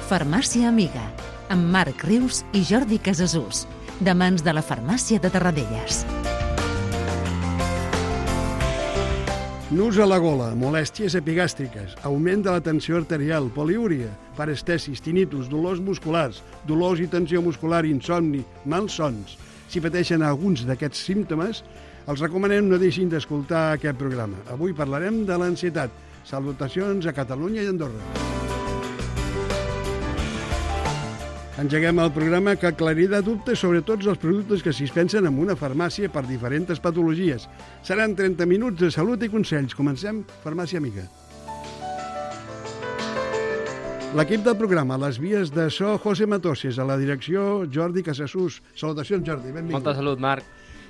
Farmàcia Amiga, amb Marc Rius i Jordi Casasús, de mans de la Farmàcia de Tarradellas. Nus a la gola, molèsties epigàstriques, augment de la tensió arterial, poliúria, parestesis, tinnitus, dolors musculars, dolors i tensió muscular, insomni, malsons. Si pateixen alguns d'aquests símptomes, els recomanem no deixin d'escoltar aquest programa. Avui parlarem de l'ansietat. Salutacions a Catalunya i Andorra. Engeguem el programa que aclarirà dubtes sobre tots els productes que s'hi dispensen en una farmàcia per diferents patologies. Seran 30 minuts de salut i consells. Comencem Farmàcia Amiga. L'equip del programa, a les vies de so, José Matoses, a la direcció, Jordi Casasús. Salutacions, Jordi, benvingut. Molta salut, Marc.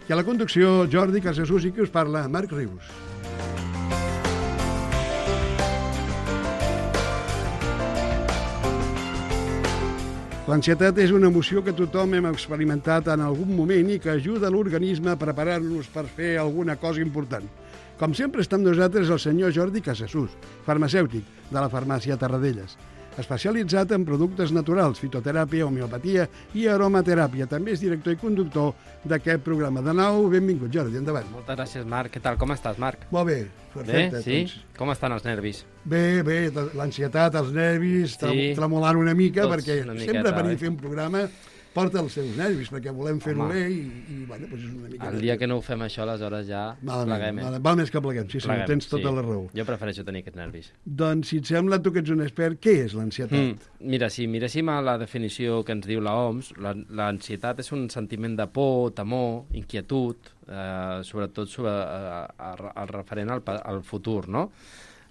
I a la conducció, Jordi Casasús i qui us parla, Marc Rius. L'ansietat és una emoció que tothom hem experimentat en algun moment i que ajuda l'organisme a preparar-nos per fer alguna cosa important. Com sempre està amb nosaltres el senyor Jordi Casasús, farmacèutic de la Farmàcia Tarradellas, especialitzat en productes naturals, fitoteràpia, homeopatia i aromateràpia. També és director i conductor d'aquest programa. De nou, benvingut, Jordi, endavant. Moltes gràcies, Marc. Què tal? Com estàs, Marc? Molt bé, perfecte. Bé, sí? Com estan els nervis? Bé, l'ansietat, els nervis, Sí. tremolant una mica, Tots perquè una miqueta, sempre venir oi? a fer un programa porta els seus nervis, perquè volem fer-ho Home. bé i bueno, doncs és una mica... El dia que no ho fem això, aleshores ja pleguem. Val més que pleguem, sí, Pleguem, tens tota la raó. Jo prefereixo tenir aquests nervis. Doncs, si et sembla, tu que ets un expert, què és l'ansietat? Mira, si miréssim a la definició que ens diu la OMS, l'ansietat és un sentiment de por, temor, inquietud, sobretot el referent al futur, no?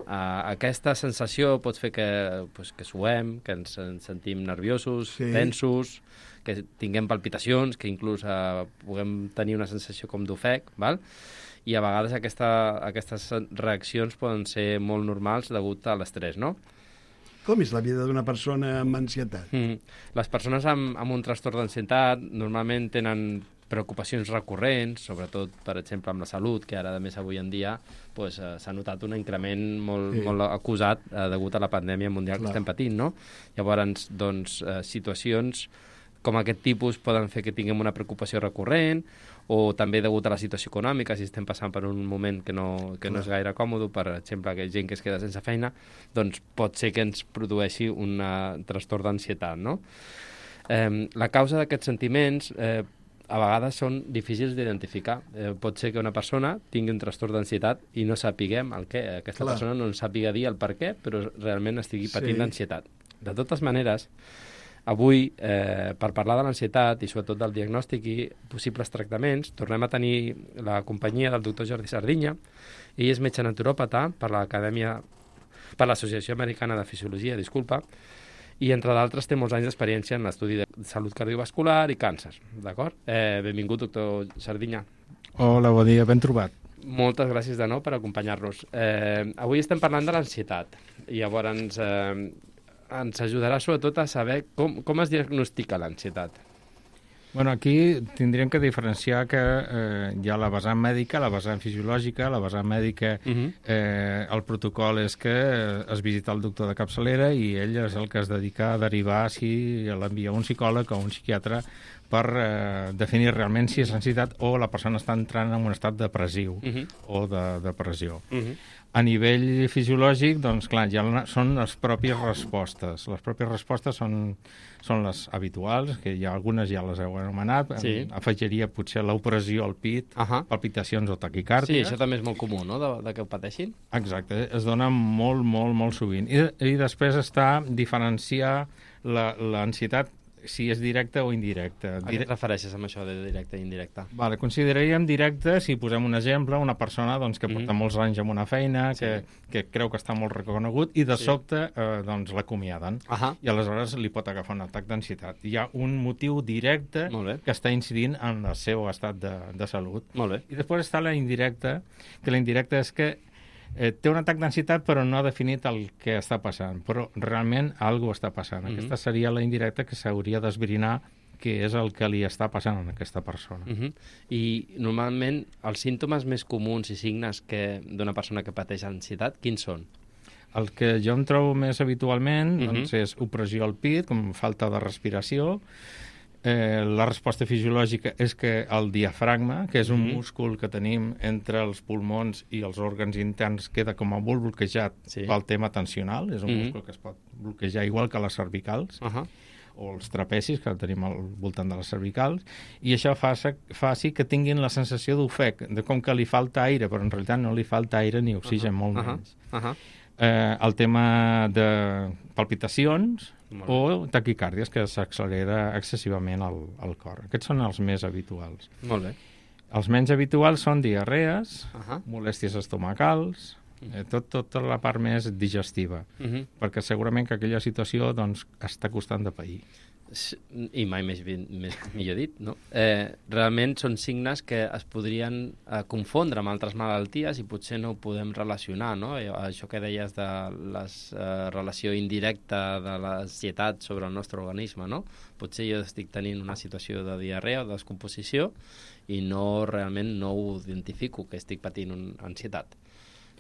Aquesta sensació pot fer que suem, que ens sentim nerviosos, Sí. tensos, que tinguem palpitacions, que inclús puguem tenir una sensació com d'ofec, val? I a vegades aquestes reaccions poden ser molt normals degut a l'estrès, no? Com és la vida d'una persona amb ansietat? Les persones amb un trastorn d'ansietat normalment tenen preocupacions recurrents, sobretot, per exemple, amb la salut, que ara, a més, avui en dia pues, s'ha notat un increment molt acusat degut a la pandèmia mundial que estem patint, no? Llavors, doncs, situacions com aquest tipus poden fer que tinguem una preocupació recurrent, o també degut a la situació econòmica, si estem passant per un moment que no és gaire còmode, per exemple, que gent que es queda sense feina, doncs pot ser que ens produeixi un trastorn d'ansietat, no? La causa d'aquests sentiments a vegades són difícils d'identificar. Pot ser que una persona tingui un trastorn d'ansietat i no sapiguem el què. Aquesta persona no ens sàpiga dir el per què, però realment estigui patint d'ansietat. De totes maneres, avui, per parlar de l'ansietat i sobretot del diagnòstic i possibles tractaments, tornem a tenir la companyia del doctor Jordi Sardinya. Ell és metge naturòpata per l'Associació Americana de Fisiologia, i, entre d'altres, té molts anys d'experiència en l'estudi de salut cardiovascular i càncer, d'acord? Benvingut, doctor Sardinya. Hola, bon dia, ben trobat. Moltes gràcies de nou per acompanyar-nos. Avui estem parlant de l'ansietat, i llavors ens ajudarà sobretot a saber com es diagnostica l'ansietat. Bueno, aquí tindríem que diferenciar que hi ha la vessant mèdica, la vessant fisiològica. La vessant mèdica, el protocol és que es visita el doctor de capçalera i ell és el que es dedica a derivar si l'envia un psicòleg o un psiquiatre per definir realment si és ansietat o la persona està entrant en un estat depressiu o de depressió. A nivell fisiològic, doncs clar, ja són les pròpies respostes. Les pròpies respostes són les habituals, que algunes ja les heu anomenat. Sí. Afegiria potser l'opressió al pit, palpitacions o taquicàrdies. Sí, això també és molt comú, no?, de que ho pateixin. Exacte, es dona molt, molt, molt sovint. I després està diferenciar l'ansietat si és directa o indirecta. A què et refereixes amb això de directe i indirecte? Vale, consideraríem directe, si posem un exemple, una persona doncs, que porta molts anys en una feina, que creu que està molt reconegut, i de sobte doncs, l'acomiaden. I aleshores li pot agafar un atac d'ansietat. Hi ha un motiu directe que està incidint en el seu estat de salut. Molt bé. I després està la indirecta, que la indirecta és que té un atac d'ansietat però no ha definit el que està passant, però realment alguna cosa està passant. Aquesta seria la indirecta que s'hauria d'esbrinar què és el que li està passant a aquesta persona. I normalment els símptomes més comuns i signes d'una persona que pateix ansietat, quins són? El que jo em trobo més habitualment doncs, és opressió al pit, com falta de respiració. La resposta fisiològica és que el diafragma, que és un múscul que tenim entre els pulmons i els òrgans interns, queda com a molt bloquejat pel tema tensional. És un múscul que es pot bloquejar igual que les cervicals, o els trapecis, que tenim al voltant de les cervicals, i això faci que tinguin la sensació d'ofec, de com que li falta aire, però en realitat no li falta aire ni oxigen, molt menys. El tema de palpitacions o taquicàrdies, que s'accelera excessivament el cor. Aquests són els més habituals. Molt bé. Els menys habituals són diarrees, molèsties estomacals, tota la part més digestiva, perquè segurament que aquella situació doncs, està costant de pair. I mai millor dit, no? Realment són signes que es podrien confondre amb altres malalties i potser no ho podem relacionar, no? Això que deies de la relació indirecta de l'ansietat sobre el nostre organisme, no? Potser jo estic tenint una situació de diarrea o de descomposició i realment no ho identifico, que estic patint ansietat,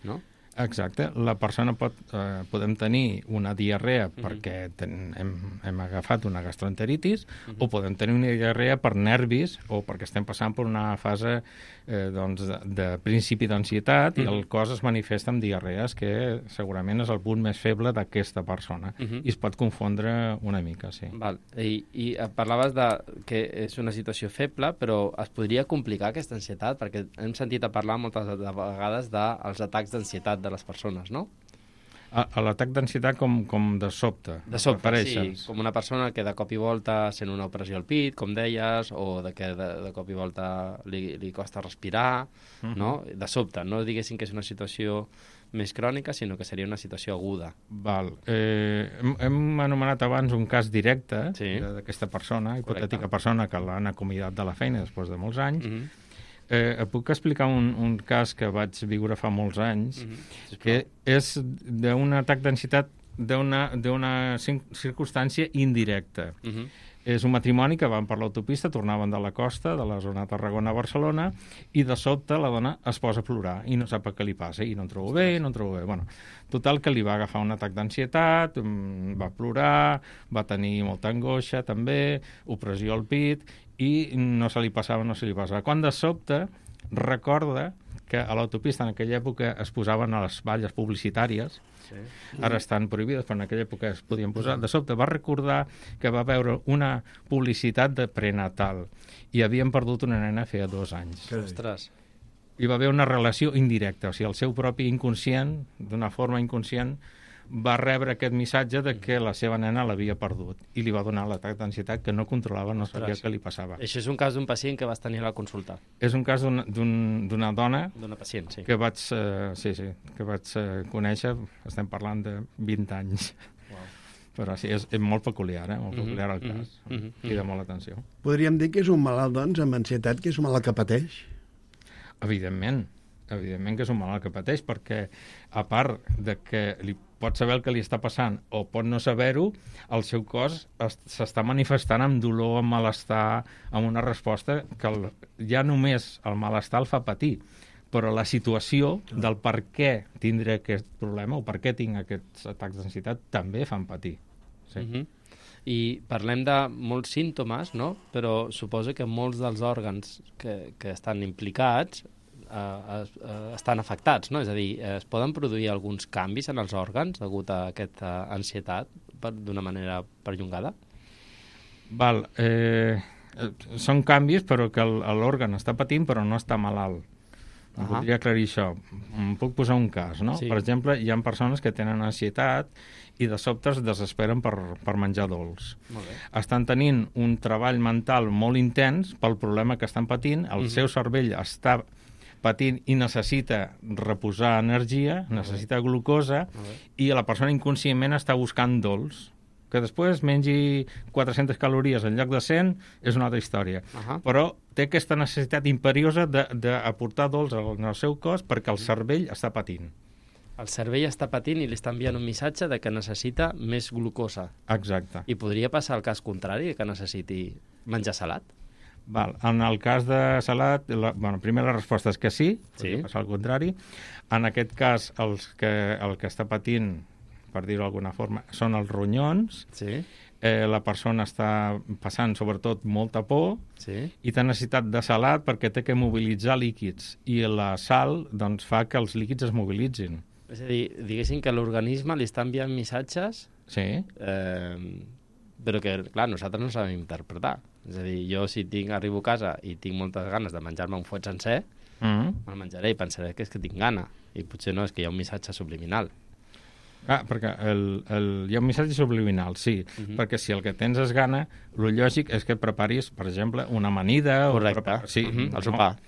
no? Exacte. La persona podem tenir una diarrea perquè hem agafat una gastroenteritis o podem tenir una diarrea per nervis o perquè estem passant per una fase de principi d'ansietat i el cos es manifesta amb diarrees, que segurament és el punt més feble d'aquesta persona i es pot confondre una mica, sí. Val. I parlaves que és una situació feble, però es podria complicar aquesta ansietat, perquè hem sentit a parlar moltes vegades dels atacs d'ansietat de les persones, no? L'atac d'ansietat com de sobte. De sobte, sí. Com una persona que de cop i volta sent una opressió al pit, com deies, o que de cop i volta li costa respirar, no? De sobte, no diguéssim que és una situació més crònica, sinó que seria una situació aguda. Val. Hem anomenat abans un cas directe d'aquesta persona, hipotètica persona que l'han acomiadat de la feina després de molts anys. Puc explicar un cas que vaig viure fa molts anys, que és d'un atac d'ansietat d'una circumstància indirecta. És un matrimoni que van per l'autopista, tornaven de la costa, de la zona de Tarragona a Barcelona, i de sobte la dona es posa a plorar i no sap què li passa, i no em trobo bé. Bueno, total, que li va agafar un atac d'ansietat, va plorar, va tenir molta angoixa també, opressió al pit, i no se li passava. Quan de sobte recorda que a l'autopista en aquella època es posaven a les valles publicitàries, ara estan prohibides, però en aquella època es podien posar. De sobte va recordar que va veure una publicitat de prenatal i havien perdut una nena feia 2 anys. Ostres! Hi va haver una relació indirecta, o sigui, el seu propi inconscient, d'una forma inconscient, va rebre aquest missatge de que la seva nena l'havia perdut i li va donar l'atac d'ansietat que no controlava, no sabia què li passava. Això és un cas d'un pacient que vas tenir a la consulta. És un cas d'una dona... D'una pacient, sí. Que vaig conèixer, estem parlant de 20 anys. Wow. Però sí, és molt peculiar, molt peculiar el cas. Crida molt l'atenció. Podríem dir que és un malalt, doncs, amb ansietat, que és un malalt que pateix? Evidentment que és un malalt que pateix, perquè a part de que li pot saber el que li està passant o pot no saber-ho, el seu cos s'està manifestant amb dolor, amb malestar, amb una resposta que ja només el malestar el fa patir, però la situació del per què tindré aquest problema o per què tinc aquests atacs d'ansietat també fan patir. Sí. I parlem de molts símptomes, no? Però suposo que molts dels òrgans que estan implicats estan afectats, no? És a dir, es poden produir alguns canvis en els òrgans degut a aquesta ansietat d'una manera perllongada? Val. Són canvis, però que l'òrgan està patint, però no està malalt. Voldria aclarir això. Puc posar un cas, no? Sí. Per exemple, hi ha persones que tenen ansietat i de sobte es desesperen per menjar dolç. Estan tenint un treball mental molt intens pel problema que estan patint, el seu cervell està patint i necessita reposar energia, necessita glucosa, i la persona inconscientment està buscant dolç. Que després mengi 400 calories en lloc de 100 és una altra història. Però té aquesta necessitat imperiosa d'aportar dolç en el seu cos perquè el cervell està patint. El cervell està patint i li està enviant un missatge de que necessita més glucosa. Exacte. I podria passar el cas contrari, que necessiti menjar salat? Val. En el cas de salat, primer la resposta és que sí, podria passar al contrari. En aquest cas, el que està patint per dir-ho d'alguna forma, són els ronyons. Sí. La persona està passant, sobretot, molta por i té necessitat de salat perquè té que mobilitzar líquids. I la sal doncs, fa que els líquids es mobilitzin. És a dir, diguéssim que l'organisme li està enviant missatges, però que, clar, nosaltres no sabem interpretar. És a dir, jo si arribo a casa i tinc moltes ganes de menjar-me un fuet sencer, me'l menjaré i pensaré que és que tinc gana. I potser no, és que hi ha un missatge subliminal. Perquè hi ha un missatge subliminal, sí, perquè si el que tens és gana, el lògic és que preparis, per exemple, una amanida. Correcte, el sopar.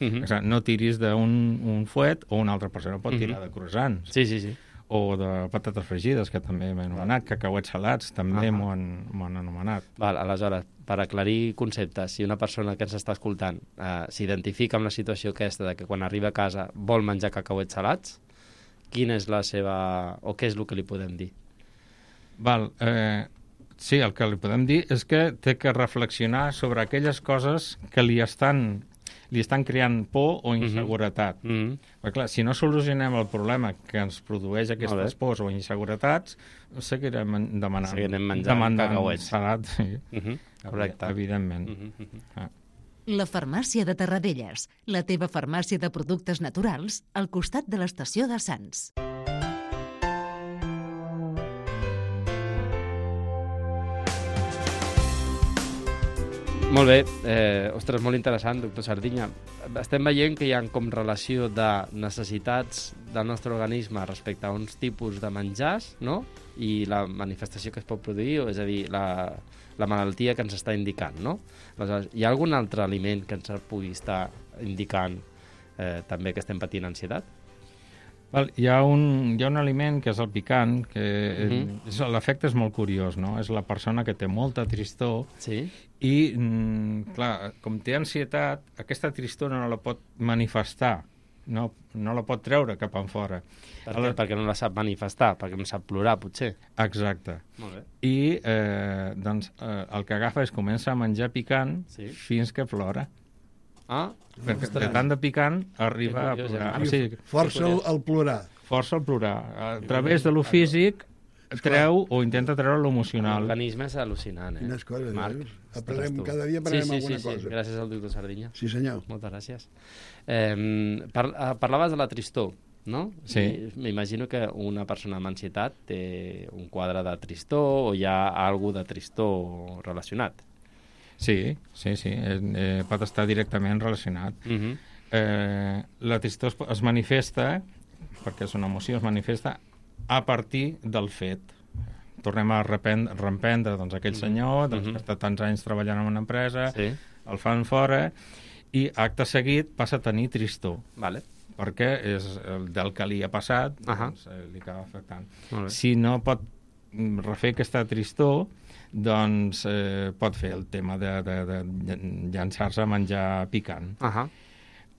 No tiris d'un fuet, o una altra persona pot tirar de croissants. Sí. O de patates fregides, que també m'he anomenat, cacauets salats, també m'ho han anomenat. Val, aleshores, per aclarir conceptes, si una persona que ens està escoltant s'identifica amb la situació aquesta de que quan arriba a casa vol menjar cacauets salats, quina és la seva... o què és el que li podem dir? Sí, el que li podem dir és que té que reflexionar sobre aquelles coses que li estan creant por o inseguretat. Perquè, clar, si no solucionem el problema que ens produeix aquestes pors o inseguretats, seguirem demanant... Seguirem menjant cacauets. Salat, sí. Correcte. Evidentment. La farmàcia de Terradellas, la teva farmàcia de productes naturals al costat de l'estació de Sants. Molt bé. Ostres, molt interessant, doctor Sardinya. Estem veient que hi ha com relació de necessitats del nostre organisme respecte a uns tipus de menjars, no? I la manifestació que es pot produir, és a dir, la malaltia que ens està indicant, no? Aleshores, hi ha algun altre aliment que ens pugui estar indicant també que estem patint ansietat? Hi ha un aliment que és el picant, que l'efecte és molt curiós, no? És la persona que té molta tristor i, clar, com té ansietat, aquesta tristor no la pot manifestar, no la pot treure cap enfora. Perquè no la sap manifestar, perquè no sap plorar, potser. Exacte. Molt bé. I el que agafa és comença a menjar picant fins que plora. Perquè de tant de picant arriba a plorar. Força el plorar. Força el plorar. A través de lo físic treu o intenta treure l'emocional. L'organisme és al·lucinant, Quines coses, Marc? Cada dia aprendrem alguna cosa. Sí, gràcies al doctor Sardinya. Sí, senyor. Moltes gràcies. Parlaves de la tristor, no? Sí. M'imagino que una persona amb ansietat té un quadre de tristor o hi ha alguna de tristor relacionat. Sí, pot estar directament relacionat. La tristor es manifesta, perquè és una emoció, es manifesta a partir del fet. Tornem a reprendre aquell senyor que està tants anys treballant en una empresa, el fan fora, i acte seguit passa a tenir tristor. Perquè és del que li ha passat, li acaba afectant. Si no pot refer aquesta tristor, doncs pot fer el tema de llançar-se a menjar picant.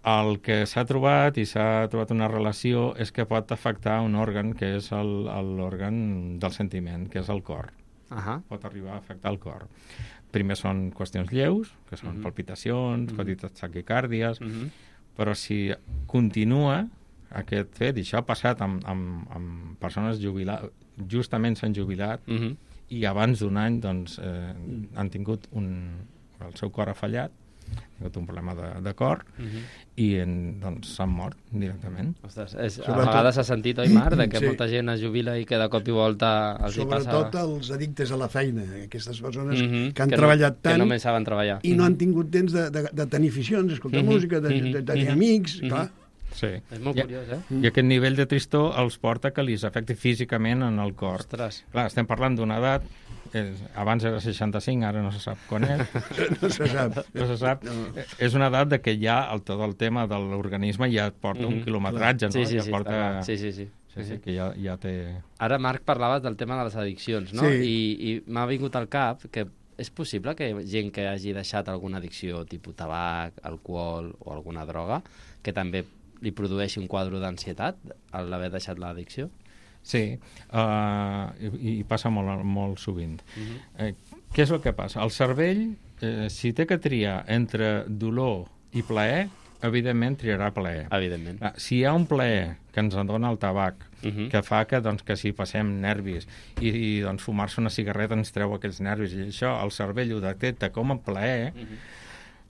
El que s'ha trobat, i s'ha trobat una relació, és que pot afectar un òrgan, que és l'òrgan del sentiment, que és el cor. Pot arribar a afectar el cor. Primer són qüestions lleus, que són palpitacions, petites taquicàrdies, però si continua aquest fet, i això ha passat amb persones jubilades, justament s'han jubilat, i abans d'un any doncs, han tingut el seu cor ha fallat, han tingut un problema de cor, i doncs s'han mort directament. Ostres, a vegades s'ha sentit, oi, Marc, que molta gent es jubila i que de cop i volta els hi passa... Sobretot els addictes a la feina, aquestes persones que han treballat tant que només saben treballar. I no han tingut temps de tenir aficions, d'escoltar música, de tenir amics, clar. Sí. És molt curiós, I aquest nivell de tristor els porta que li afecti físicament en el cor. Ostres. Clar, estem parlant d'una edat, abans era 65, ara no se sap quan és. No se sap. No se sap. És una edat de que ja tot el tema de l'organisme ja et porta un quilometratge, no? Sí, que ja té... Ara, Marc, parlaves del tema de les addiccions, no? I m'ha vingut al cap que és possible que gent que hagi deixat alguna addicció, tipus tabac, alcohol o alguna droga, que també li produeixi un quadre d'ansietat al haver deixat l'addicció? Sí, i passa molt sovint. Què és el que passa? El cervell, si té que triar entre dolor i plaer, evidentment triarà plaer. Evidentment. Si hi ha un plaer que ens en dona el tabac, que fa que, doncs, que si passem nervis i doncs, fumar-se una cigarreta ens treu aquells nervis i això, el cervell ho detecta com a plaer,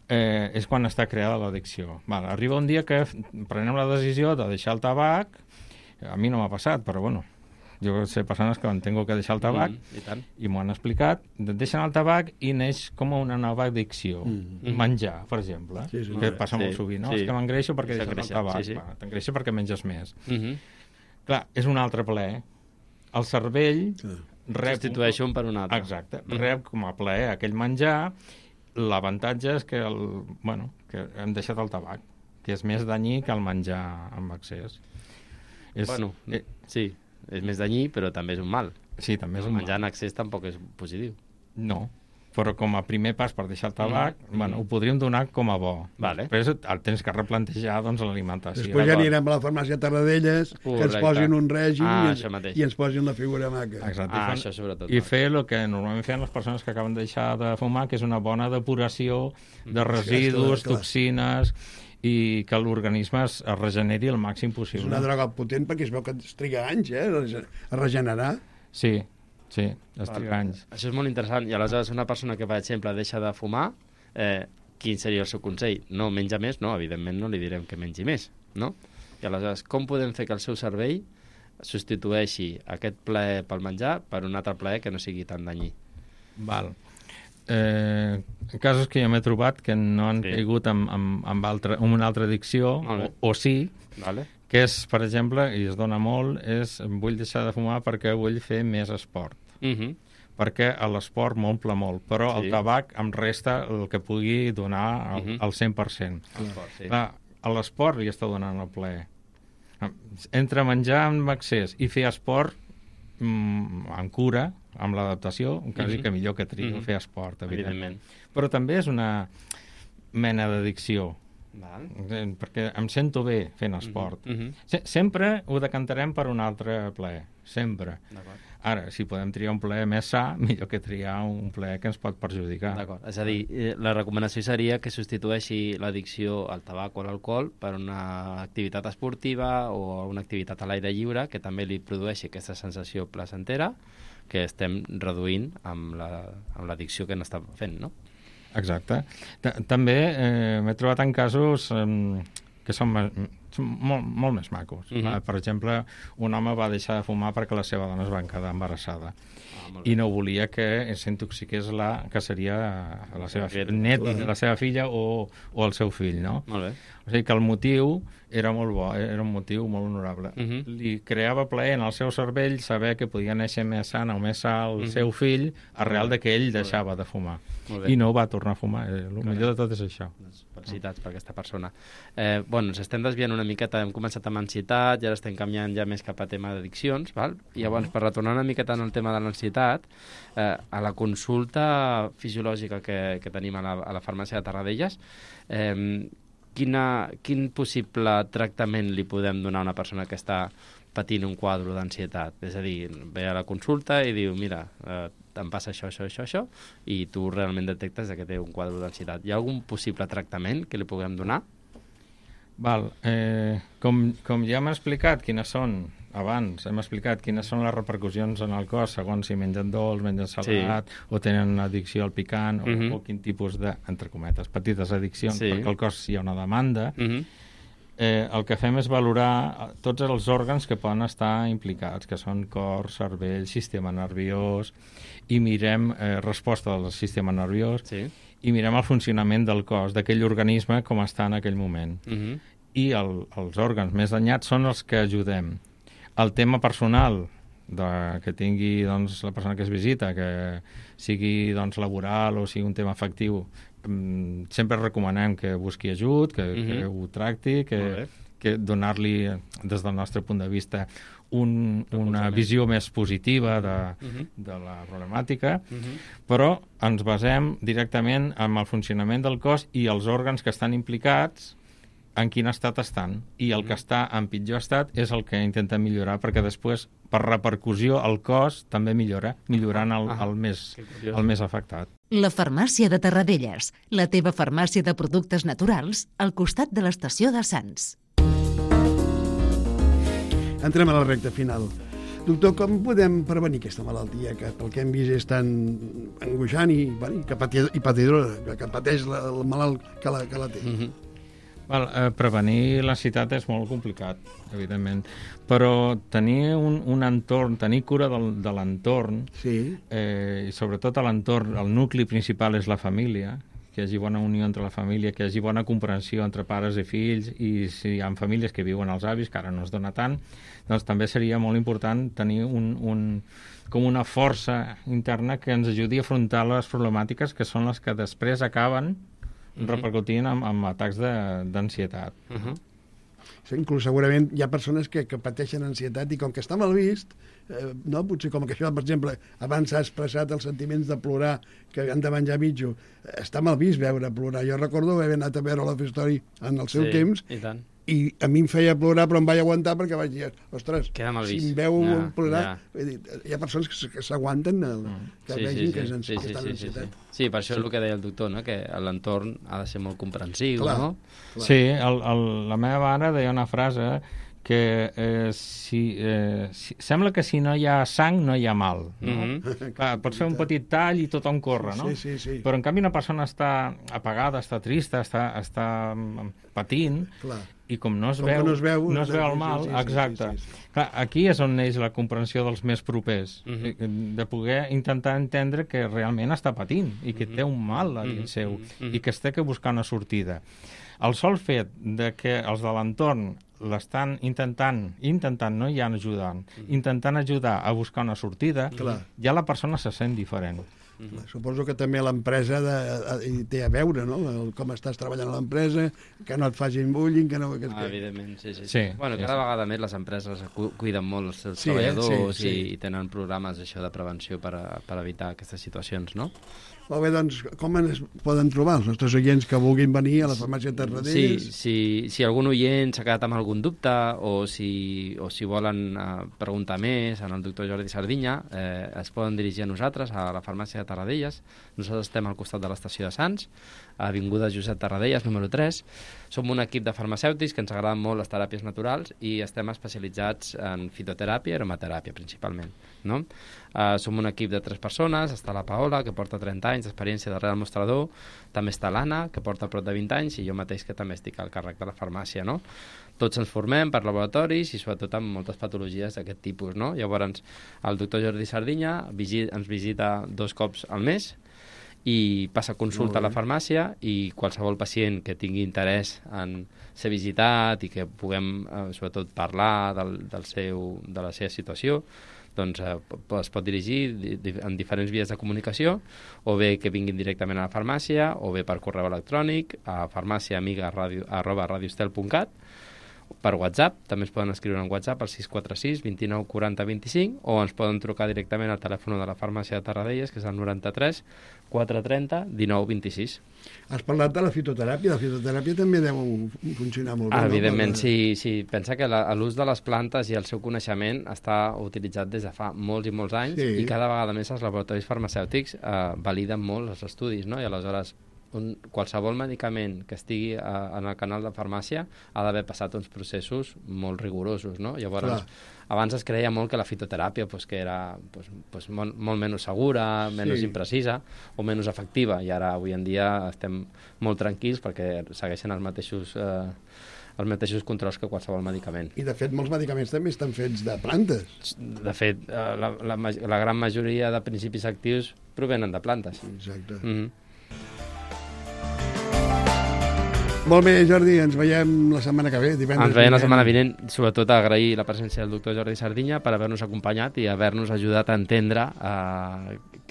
és quan està creada l'addicció. Arriba un dia que prenem la decisió de deixar el tabac, a mi no m'ha passat, però bueno, jo sé persones que tengo que deixar el tabac i m'ho han explicat, deixen el tabac i neix com una nova addicció. Menjar, per exemple, que passa molt sovint, no? És que m'engreixo perquè deixes el tabac, t'engreixo perquè menges més. Clar, és un altre plaer. El cervell substitueix un per un altre. Exacte, rep com a plaer aquell menjar. L'avantatge és que, que hem deixat el tabac, que és més danyí que el menjar amb excés. Sí, és més danyí, però també és un mal. Sí, també és un mal. Menjar en excés tampoc és positiu. No, però com a primer pas per deixar el tabac, ho podríem donar com a bo. Després el tens que replantejar l'alimentació. Després ja anirem a la farmàcia Tarradellas, que ens posin un règim i ens posin la figura maca. Exacte. Això sobretot. I fer el que normalment feien les persones que acaben de deixar de fumar, que és una bona depuració de residus, toxines, i que l'organisme es regeneri el màxim possible. És una droga potent perquè es veu que es triga anys a regenerar. Sí, es triga anys. Això és molt interessant. I aleshores una persona que, per exemple, deixa de fumar, quin seria el seu consell? No menja més? No, evidentment no li direm que mengi més, no? I aleshores, com podem fer que el seu cervell substitueixi aquest plaer pel menjar per un altre plaer que no sigui tan danyí? Casos que jo m'he trobat que no han caigut amb una altra addicció, o sí, que és, per exemple, i es dona molt, vull deixar de fumar perquè vull fer més esport. Perquè l'esport m'omple molt, però el tabac em resta el que pugui donar al 100%. A l'esport li està donant el plaer. Entre menjar amb excés i fer esport amb cura, amb l'adaptació, quasi que millor que trio fer esport, evidentment. Però també és una mena d'addicció, perquè em sento bé fent esport. Sempre ho decantarem per un altre plaer, sempre. Ara, si podem triar un plaer més sa, millor que triar un plaer que ens pot perjudicar. D'acord. És a dir, la recomanació seria que substitueixi l'addicció al tabac o a l'alcohol per una activitat esportiva o una activitat a l'aire lliure que també li produeixi aquesta sensació placentera que estem reduint amb l'addicció que n'està fent, no? Exacte. També m'he trobat en casos que són molt més macos. Per exemple, un home va deixar de fumar perquè la seva dona es va quedar embarassada i no volia que s'intoxiqués que seria la seva la seva filla o el seu fill, no? Molt bé. O sigui que el motiu era molt bo, era un motiu molt honorable. Li creava plaer en el seu cervell saber que podia néixer més sana o més sa el seu fill arrel de que ell deixava de fumar. I no va tornar a fumar. El millor de tot és això. Felicitats per aquesta persona. Ens estem desviant una miqueta, hem començat amb ansietat i ara estem canviant ja més cap a tema d'addiccions, i llavors per retornar una miqueta en el tema de l'ansietat, a la consulta fisiològica que tenim a la farmàcia de Tarradellas, quin possible tractament li podem donar a una persona que està patint un quadre d'ansietat? És a dir, ve a la consulta i diu, mira, em passa això, i tu realment detectes que té un quadre d'ansietat. Hi ha algun possible tractament que li puguem donar? Com ja hem explicat quines són, abans hem explicat quines són les repercussions en el cos segons si mengen dolç, mengen salat o tenen addicció al picant o quin tipus de, entre cometes, petites addiccions, perquè al cos hi ha una demanda. El que fem és valorar tots els òrgans que poden estar implicats, que són cor, cervell, sistema nerviós, i mirem resposta del sistema nerviós i mirem el funcionament del cos, d'aquell organisme com està en aquell moment. I els òrgans més danyats són els que ajudem. El tema personal que tingui la persona que es visita, que sigui laboral o sigui un tema afectiu, sempre recomanem que busqui ajut, que ho tracti, que donar-li, des del nostre punt de vista, una visió més positiva de la problemàtica, però ens basem directament en el funcionament del cos i els òrgans que estan implicats en quin estat estan, i el que està en pitjor estat és el que intenta millorar, perquè després, per repercussió, el cos també millorant el més afectat. La farmàcia de Terradellas, la teva farmàcia de productes naturals al costat de l'estació de Sants. Entrem a la recta final. Doctor, com podem prevenir aquesta malaltia que pel que hem vist és tan angoixant i patidora, que pateix el malalt que la té? Prevenir l'ansietat és molt complicat, evidentment, però tenir un entorn, tenir cura de l'entorn, i sobretot a l'entorn, el nucli principal és la família, que hi hagi bona unió entre la família, que hi hagi bona comprensió entre pares i fills, i si hi ha famílies que viuen els avis, que ara no es dona tant, doncs també seria molt important tenir com una força interna que ens ajudi a afrontar les problemàtiques que són les que després acaben repercutint en atacs d'ansietat. Inclús segurament hi ha persones que pateixen ansietat i com que està mal vist, potser com que això, per exemple, abans s'ha expressat els sentiments de plorar, que han de menjar mitjo, està mal vist veure plorar. Jo recordo haver anat a veure l'Off Story en el seu temps, i a mi em feia plorar, però em vaig aguantar perquè vaig dir, ostres, si em veu plorar... Hi ha persones que s'aguanten que vegin que estan en ansietat. Sí, per això és el que deia el doctor, que l'entorn ha de ser molt comprensiu, no? Sí, la meva mare deia una frase que sembla que si no hi ha sang no hi ha mal. Pots fer un petit tall i tothom corre, no? Sí. Però en canvi una persona està apagada, està trista, està patint, i com no es veu el mal, exacte. Clar, aquí és on neix la comprensió dels més propers, de poder intentar entendre que realment està patint i que té un mal a dins seu i que es té que buscar una sortida. El sol fet de que els de l'entorn l'estan intentant, no ja ajudant, intentant ajudar a buscar una sortida, ja la persona se sent diferent. Suposo que també l'empresa hi té a veure, no? Com estàs treballant a l'empresa, que no et facin bullying, que no... Evidentment, sí. Bueno, cada vegada més les empreses cuiden molt els seus treballadors i tenen programes de prevenció per evitar aquestes situacions, no? Molt bé, doncs, com ens poden trobar els nostres oients que vulguin venir a la farmàcia de Terradellas? Si algun oient s'ha quedat amb algun dubte o si volen preguntar més al doctor Jordi Sardinya, es poden dirigir a nosaltres, a la farmàcia de Terradellas. Nosaltres estem al costat de l'estació de Sants, a avinguda Josep Terradellas, número 3. Som un equip de farmacèutics que ens agraden molt les teràpies naturals i estem especialitzats en fitoteràpia i aromateràpia, principalment, no? Som un equip de 3 persones, està la Paola, que porta 30 anys d'experiència darrere del mostrador, també està l'Anna, que porta prop de 20 anys, i jo mateix, que també estic al càrrec de la farmàcia, no? Tots ens formem per laboratoris i sobretot amb moltes patologies d'aquest tipus, no? Llavors, el doctor Jordi Sardinya ens visita 2 cops al mes i passa consulta a la farmàcia, i qualsevol pacient que tingui interès en ser visitat i que puguem, sobretot, parlar de la seva situació, doncs es pot dirigir en diferents vies de comunicació, o bé que vinguin directament a la farmàcia, o bé per correu electrònic a farmaciaamiga@radiostel.cat, per WhatsApp, també es poden escriure en WhatsApp al 646 29 40 25, o ens poden trucar directament al telèfon de la farmàcia de Terradellas, que és el 93 430 19 26. Has parlat de la fitoteràpia. La fitoteràpia també deu funcionar molt bé. Evidentment, sí. Pensa que l'ús de les plantes i el seu coneixement està utilitzat des de fa molts i molts anys, i cada vegada més els laboratoris farmacèutics validen molt els estudis, no? I aleshores qualsevol medicament que estigui en el canal de farmàcia ha d'haver passat uns processos molt rigorosos, no? Llavors, abans es creia molt que la fitoteràpia que era molt menys segura, menys imprecisa o menys efectiva, i ara avui en dia estem molt tranquils perquè segueixen els mateixos controls que qualsevol medicament. I de fet molts medicaments també estan fets de plantes. De fet, la gran majoria de principis actius provenen de plantes. Exacte. Molt bé, Jordi, ens veiem la setmana que ve, divendres. Ens veiem la setmana vinent, sobretot agrair la presència del doctor Jordi Sardinya per haver-nos acompanyat i haver-nos ajudat a entendre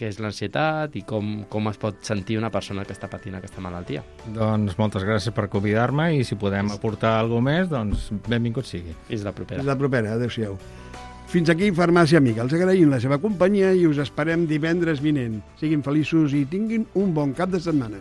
què és l'ansietat i com es pot sentir una persona que està patint aquesta malaltia. Doncs moltes gràcies per convidar-me, i si podem aportar alguna més, doncs benvingut sigui. Fins la propera. Fins la propera, adéu-siau. Fins aquí Farmàcia Amiga. Els agraïm la seva companyia i us esperem divendres vinent. Siguin feliços i tinguin un bon cap de setmana.